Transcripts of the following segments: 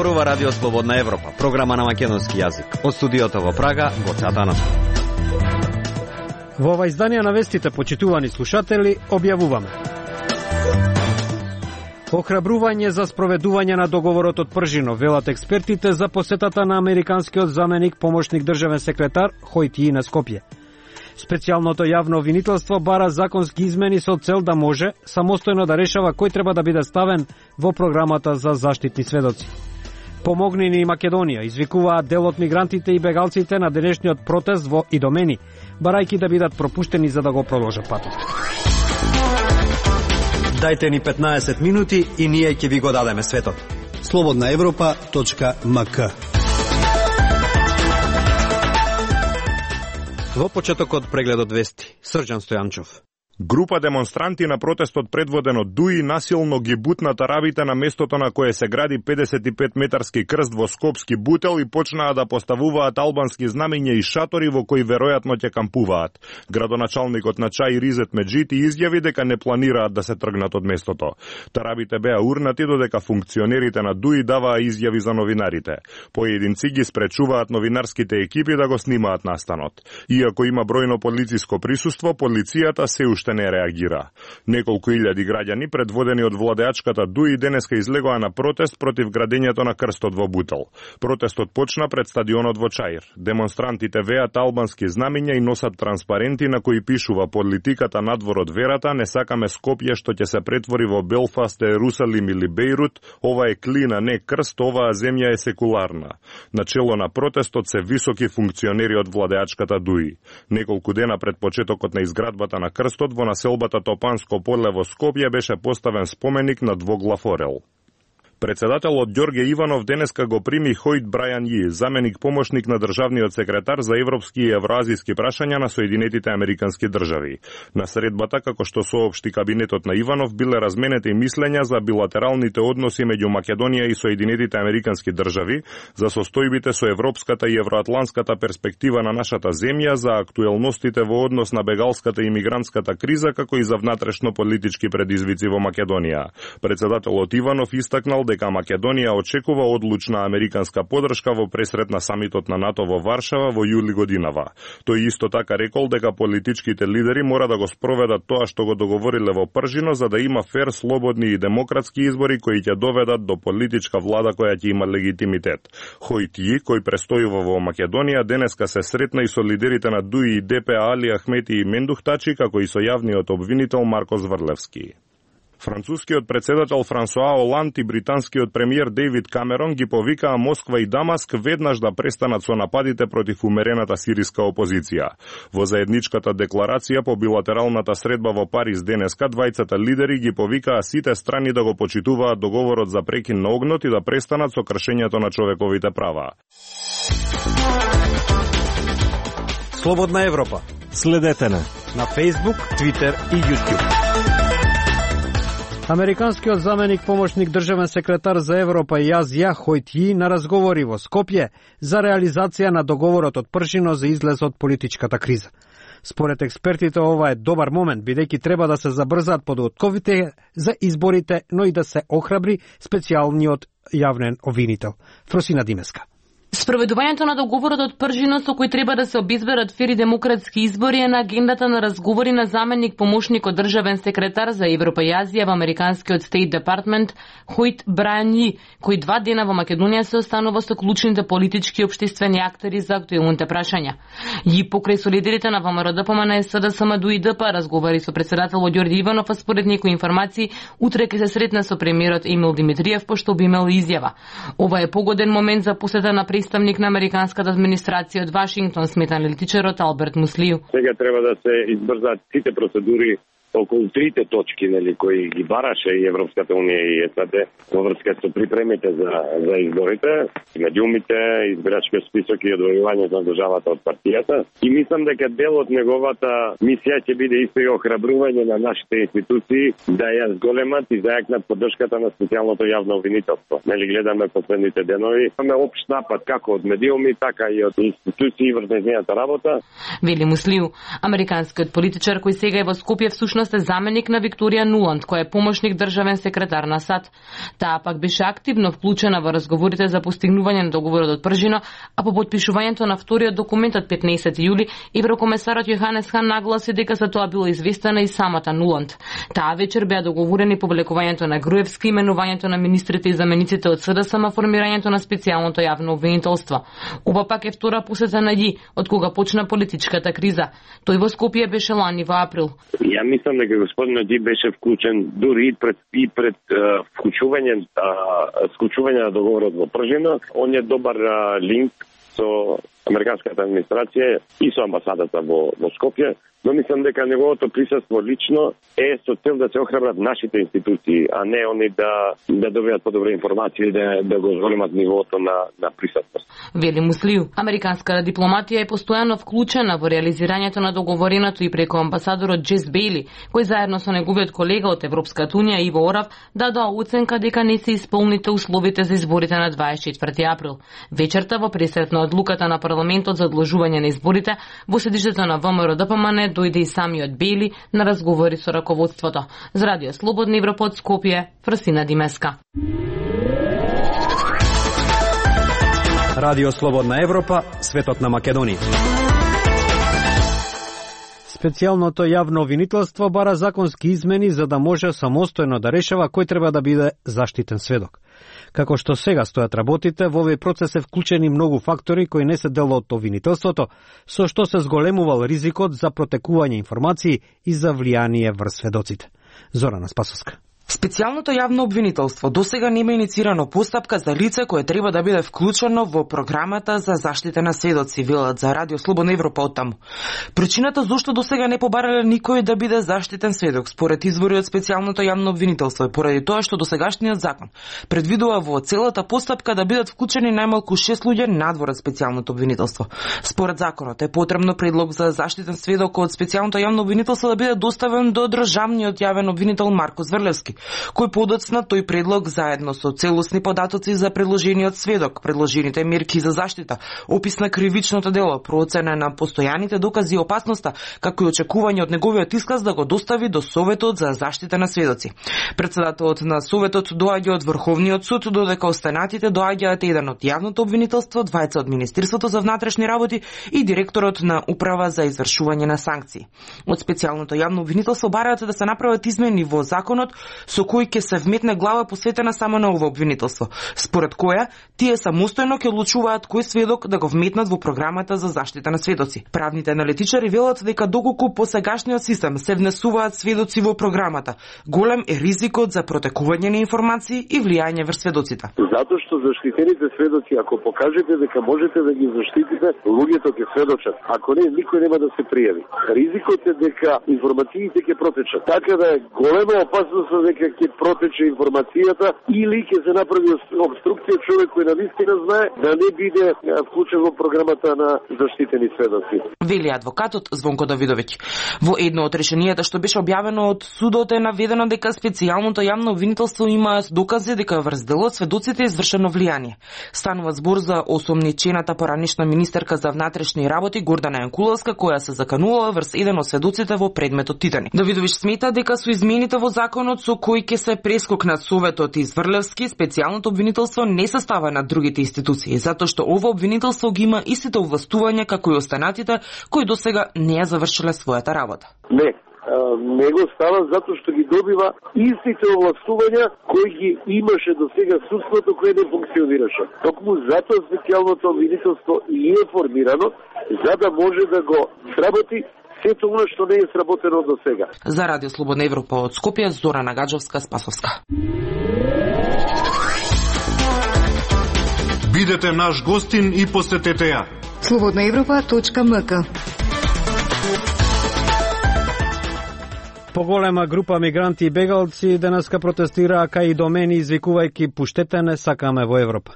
Зборува Радио Слободна Европа, програма на македонски јазик. Од студиото во Прага, Гоце Атанов. Во ова издание на вестите, почитувани слушатели, објавуваме: охрабрување за спроведување на договорот од Пржино, велат експертите за посетата на американскиот заменик помошник државен секретар Хојт Ји на Скопје. Специјалното јавно обвинителство бара законски измени со цел да може самостојно да решава кој треба да биде ставен во програмата за заштитни сведоци. Помогни ни Македонија, извикуваат дел од мигрантите и бегалците на денешниот протест во Идомени, барајќи да бидат пропуштени за да го продолжат патот. Дајте ни 15 минути и ние ќе ви го дадеме светот. slobodnaevropa.mk. Во почетокот прегледот вести, Срđan Стојанчов. Група демонстранти на протестот предводен од ДУИ насилно ги бутнат арабите на местото на кое се гради 55-метарски крст во Скопски бутел и почнаа да поставуваат албански знамиња и шатори во кои веројатно ќе кампуваат. Градоначалникот на Чај Ризет Меджити изјави дека не планираат да се тргнат од местото. Тарабите беа урнати додека функционерите на ДУИ даваа изјави за новинарите. Поединци ги спречуваат новинарските екипи да го снимаат настанот. Иако има бројно полициско присуство, полицијата се уште не реагира. Неколку илјади граѓани, предводени од владеачката ДУИ, денеска излегоа на протест против градењето на крстот во Бутел. Протестот почна пред стадионот во Чаир. Демонстрантите веат албански знамиња и носат транспаренти на кои пишува: политиката надвор од верата, не сакаме Скопје што ќе се претвори во Белфаст, Ерусалим или Бејрут, ова е клина, не крст, оваа земја е секуларна. Начело на протестот се високи функционери од владеачката ДУИ. Неколку дена пред почетокот на изградбата на крстот во населбата Топанско поле во Скопје беше поставен споменик на двоглав орел. Председателот Ѓорѓе Иванов денеска го прими Хојт Брајан Ји, заменик помошник на државниот секретар за европски и евроазиски прашања на Соединетите Американски држави. На средбата, како што соопшти кабинетот на Иванов, биле разменети мислења за билатералните односи меѓу Македонија и Соединетите Американски држави, за состојбите со европската и евроатланската перспектива на нашата земја, за актуелностите во однос на бегалската и мигрантската криза, како и за внатрешно политички предизвици во Македонија. Председателот Иванов истакнал дека Македонија очекува одлучна американска подршка во пресрет на самитот на НАТО во Варшава во јули годинава. Тој исто така рекол дека политичките лидери мора да го спроведат тоа што го договориле во Пржино, за да има фер, слободни и демократски избори кои ќе доведат до политичка влада која ќе има легитимитет. Хојт Ји, кој престојува во Македонија, денеска се сретна и со лидерите на ДУИ и ДП Али Ахмети и Мендухтачи, како и со јавниот обвинител Марко Зврлевски. Францускиот председател Франсуа Оланд и британскиот премиер Дејвид Камерон ги повикаа Москва и Дамаск веднаш да престанат со нападите против умерената сириска опозиција. Во заедничката декларација по билатералната средба во Париз денеска, двајцата лидери ги повикаа сите страни да го почитуваат договорот за прекин на огнот и да престанат со кршењето на човековите права. Слободна Европа. Следете на Facebook, Twitter и YouTube. Американскиот заменик помошник државен секретар за Европа и Азија Хојт Ји на разговори во Скопје за реализација на договорот од Пржино за излез од политичката криза. Според експертите, ова е добар момент, бидејќи треба да се забрзаат подготовките за изборите, но и да се охрабри специјалниот јавен обвинител. Фросина Димеска. Спроведувањето на договорот од Пржино со кој треба да се обезберат фери демократски избори е на агендата на разговори на заменик помошник од државен секретар за Европа и Азија во американскиот State Department Хојт Брајан Ји, кој 2 дена во Македонија се останува со клучните политички и општествени актери за актуелните прашања. Ји покрај со лидерите на ВМРО ДПМН, СДСМ, ДУИ, ДП разговари со председателот Ѓорѓе Иванов, а според некои информации утре ќе се сретне со премиерот Емил Димитриев, пошто би имал изјава. Ова е погоден момент за посета на представник на американската администрација од Вашингтон, смета аналитичарот Алберт Муслију. Сега треба да се избрзаат сите процедури околу трите точки, нели, кои ги бараше и Европската унија и САД во врска со припремите за изборите, медиумите, избирачкиот список и одвојувањето на државата од партијата. И мислам дека дел од неговата мисија ќе биде исто и охрабрување на нашите институции да ја зголемат и зајакнат поддршката на специјалното јавно обвинителство. Нели, гледаме последните денови, имаме општ напад како од медиуми, така и од институции врз нејзината работа. Вели Муслију, американскиот политичар кој сега е во Скопје всушност всушност е заменик на Викторија Нуланд, која е помошник државен секретар на САД. Таа пак беше активно вклучена во разговорите за постигнување на договорот од Пржино, а по потпишувањето на вториот документ од 15 јули, еврокомесарот Јоханес Хан нагласи дека за тоа била известена и самата Нуланд. Таа вечер беа договорени повлекувањето на Груевски, именувањето на министрите и замениците од СДСМ, формирањето на специјалното јавно обвинителство. Ова пак е втора посета на Ѓи, од кога почна политичката криза. Тој во Скопје беше лани во април. Ја мислам дека господинот Ѓи беше вклучен дури и пред вклучување на договорот во Пржино. Он е добар линк со американската администрација и со амбасадата во Скопје, но мислам дека неговото присуство лично е со цел да се охрабрат нашите институции, а не они да добијат подобра информација и да го зголемат нивото на присутност. Вели Муслију, американската дипломатија е постојано вклучена во реализирањето на договореното и преку амбасадорот Джес Бейли, кој заедно со неговиот колега од Европската унија Иво Орав дадоа оценка дека не се исполните условите за изборите на 24 април. Вечерта во пресрет на одлуката на парламентот за одложување на изборите во седиштето на ВМРО ДПМН дојде и самиот Бейли на разговори со раководството. За Радио Слободна Европа од Скопје, Фрасина Димеска. Радио Слободна Европа, светот на Македонија. Специјалното јавно обвинителство бара законски измени за да може самостојно да решава кој треба да биде заштитен сведок. Како што сега стојат работите, во овој процес е вклучени многу фактори кои не се дел од обвинителството, со што се зголемувал ризикот за протекување информации и за влијание врз сведоците. Зорана Спасовска. Специјалното јавно обвинителство досега нема иницирано постапка за лице кое треба да биде вклучено во програмата за заштита на сведоци, велат за Радио Слободна Европа оттаму. Причината зошто досега не побарале никој да биде заштитен сведок според извори од специјалното јавно обвинителство е поради тоа што досегашниот закон предвидува во целата постапка да бидат вклучени најмалку 6 луѓе надвор од специјалното обвинителство. Според законот е потребно предлог за заштитен сведок од специјалното јавно обвинителство да биде доставен до државниот јавен обвинител Марко Зврлевски, кој подоцна тој предлог заедно со целосни податоци за предложениот сведок, предложените мерки за заштита, опис на кривичното дело, процена на постојаните докази и опасноста, како и очекување од неговиот исказ да го достави до Советот за заштита на сведоци. Председателот на Советот доаѓа од Врховниот суд, додека останатите доаѓаат еден од јавното обвинителство, двајца од Министерството за внатрешни работи и директорот на Управа за извршување на санкции. Од специјалното јавно обвинителство бараат да се направат измени во законот со кој ќе се вметне глава посветена само на ова обвинителство, според која тие самостојно ќе одлучуваат кој сведок да го вметнат во програмата за заштита на сведоци. Правните аналитичари велат дека доколку по сегашниот систем се внесуваат сведоци во програмата, голем е ризикот за протекување на информации и влијање врз сведоците. Затоа што заштитените сведоци, ако покажете дека можете да ги заштитите, луѓето ќе сведочат. Ако не, никој нема да се пријави. Ризикот е дека информациите ќе протечат. Така да е голема опасност дека ќе протече информацијата или ќе се направи обструкција човек кој навистина знае да не биде вклучен во програмата на заштитени сведоци. Вели адвокатот Звонко Давидовиќ. Во едно од решенијата што беше објавено од судот е наведено дека специјалното јавно обвинителство има докази дека врз делот сведоците е извршено влијание. Станува збор за осомничената поранишна министерка за внатрешни работи Гордана Јанкуловска, која се заканувала врз еден од сведоците во предметот Титани. Давидовиќ смета дека со измените во законот со кој ќе се прескокнат Советот и Зврлевски, специјалното обвинителство не се става на другите институции, затоа што ова обвинителство ги има истите овластувања како и останатите кои досега не ја завршиле својата работа. Не го става затоа што ги добива истите овластувања кои ги имаше до сега судството кое не функционираше. Токму затоа специјалното обвинителство и е формирано за да може да го сработи сето она што не е сработено до сега. За Радио Слободна Европа од Скопје, Зорана Гаджовска, Спасовска. Бидете наш гостин и посетете ја. slobodnaevropa.mk. Поголема група мигранти и бегалци денеска протестираа кај домени извикувајќи пуштете не сакаме во Европа.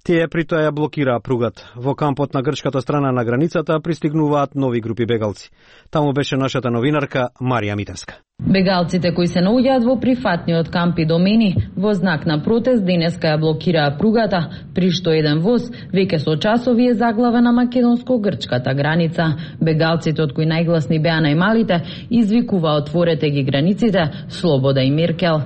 Тие при тоа ја блокираа пругата. Во кампот на грчката страна на границата пристигнуваат нови групи бегалци. Таму беше нашата новинарка Марија Митевска. Бегалците кои се наоѓаат во прифатниот камп Идомени во знак на протест денеска ја блокираа пругата, при што еден воз веќе со часови е заглавен на македонско-грчката граница. Бегалците, од кои најгласни беа најмалите, извикуваа отворете ги границите, Слобода и Меркел.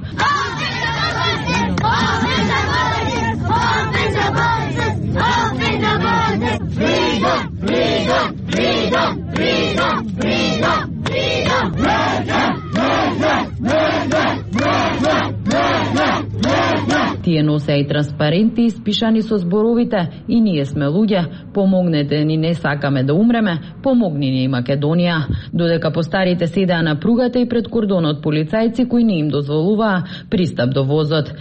Тие носеа и транспаренти испишани со зборовите "И ние сме луѓе, помогнете ни, не сакаме да умреме, помогни ни Македонија". Додека постарите седеа на пругата и пред кордонот полицајци кои не им дозволуваа пристап до возот.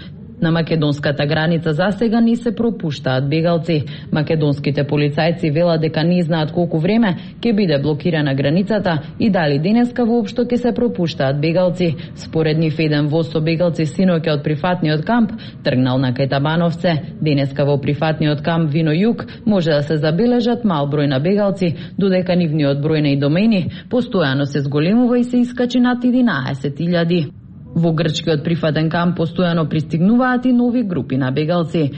На македонската граница засега не се пропуштаат бегалци. Македонските полицајци велат дека не знаат колку време ќе биде блокирана границата и дали денеска воопшто ќе се пропуштаат бегалци. Според нив еден воз со бегалци синоќа од прифатниот камп тргнал на Кајтабановце. Денеска во прифатниот камп Вино Југ може да се забележат мал број на бегалци, додека нивниот број на Идомени постојано се зголемува и се искачи над 11.000. Во грчкиот прифатен камп постојано пристигнуваат и нови групи на бегалци.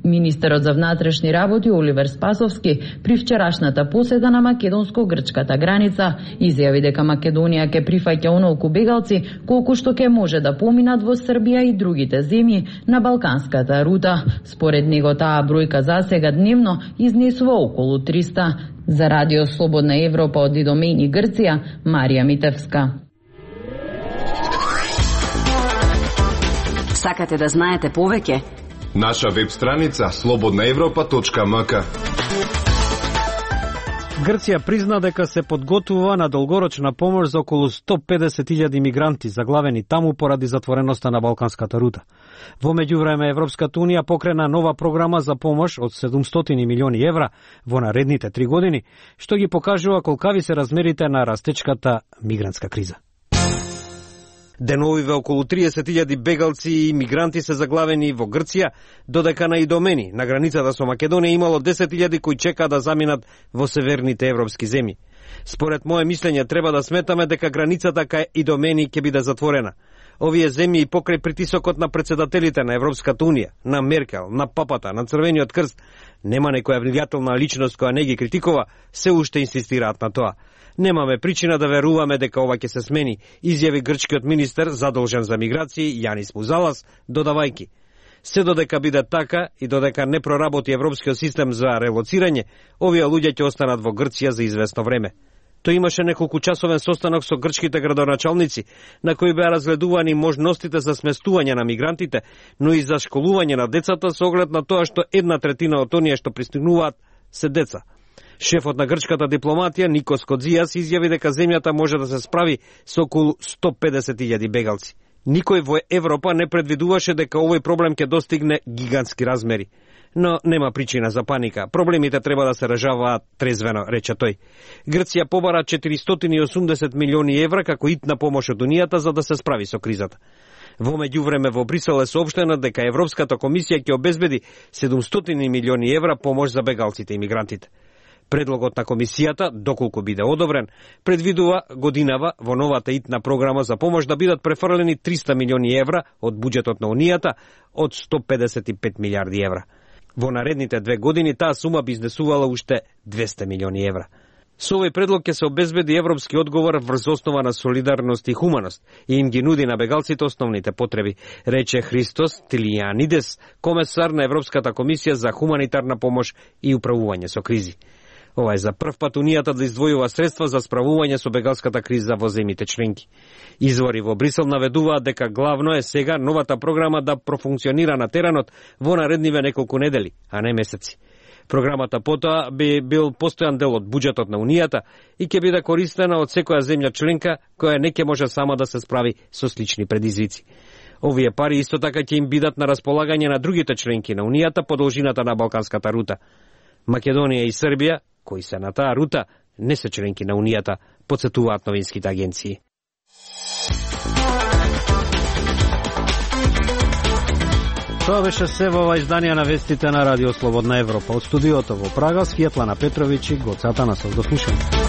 Министерот за внатрешни работи Оливер Спасовски при вчерашната посета на македонско-грчката граница изјави дека Македонија ќе прифаќа онолку бегалци колку што ќе може да поминат во Србија и другите земји на балканската рута. Според него таа бројка засега дневно изнесува околу 300. За Радио Слободна Европа од Идомени, Грција, Марија Митевска. Сакате да знаете повеќе? Наша веб страница slobodnaevropa.mk. Грција призна дека се подготвува на долгорочна помош за околу 150.000 мигранти заглавени таму поради затвореноста на балканската рута. Во меѓувреме Европската унија покрена нова програма за помош од 700 милиони евра во наредните 3 години, што ги покажува колкави се размерите на растечката мигрантска криза. Деновиве околу 30.000 бегалци и мигранти се заглавени во Грција, додека на Идомени, на границата со Македонија, имало 10.000 кои чекаат да заминат во северните европски земји. Според мое мислење треба да сметаме дека границата кај Идомени ќе биде затворена. Овие земји и покрај притисокот на претседателите на Европската унија, на Меркел, на Папата, на Црвениот крст, нема некоја влијателна личност која не ги критикува, се уште инсистираат на тоа. Немаме причина да веруваме дека ова ќе се смени, изјави грчкиот министер задолжен за миграции Јанис Музалас, додавајки: се додека биде така и додека не проработи европскиот систем за релоцирање, овие луѓе ќе останат во Грција за известно време. Тој имаше неколку часовен состанок со грчките градоначалници, на кои беа разгледувани можностите за сместување на мигрантите, но и за школување на децата со оглед на тоа што 1/3 од оние што пристигнуваат се деца. Шефот на грчката дипломатија Никос Кодзијас изјави дека земјата може да се справи со околу 150.000 бегалци. Никој во Европа не предвидуваше дека овој проблем ќе достигне гигантски размери. Но нема причина за паника. Проблемите треба да се решаваат трезвено, рече тој. Грција побара 480 милиони евра како итна помош од Унијата за да се справи со кризата. Во меѓувреме во Брисел е соопштено дека Европската комисија ќе обезбеди 700 милиони евра помош за бегалците и мигрантите. Предлогот на комисијата, доколку биде одобрен, предвидува годинава во новата итна програма за помош да бидат префрлени 300 милиони евра од буџетот на Унијата од 155 милиарди евра. Во наредните 2 години таа сума би изнесувала уште 200 милиони евра. Со овој предлог ќе се обезбеди европски одговор врз основа на солидарност и хуманост и им ги нуди на бегалците основните потреби, рече Христос Тилијанидес, комесар на Европската комисија за хуманитарна помош и управување со кризи. Ова е за прв пат Унијата да издвојува средства за справување со бегалската криза во земјите членки. Извори во Брисел наведуваат дека главно е сега новата програма да профункционира на теренот во наредниве неколку недели, а не месеци. Програмата потоа би бил постојан дел од буџетот на Унијата и ќе биде користена од секоја земја членка која не ќе може сама да се справи со слични предизвици. Овие пари исто така ќе им бидат на располагање на другите членки на Унијата по должината на Балканската рута. Македонија и Србија, кои се на таа рута, не се членки на Унијата, потсетуваат новинските агенции. Тоа беше се во ова издание на вестите на Радио Слободна Европа. Од студиото во Прага, Светлана Петровиќ и Гоце Атанасов. До слушање.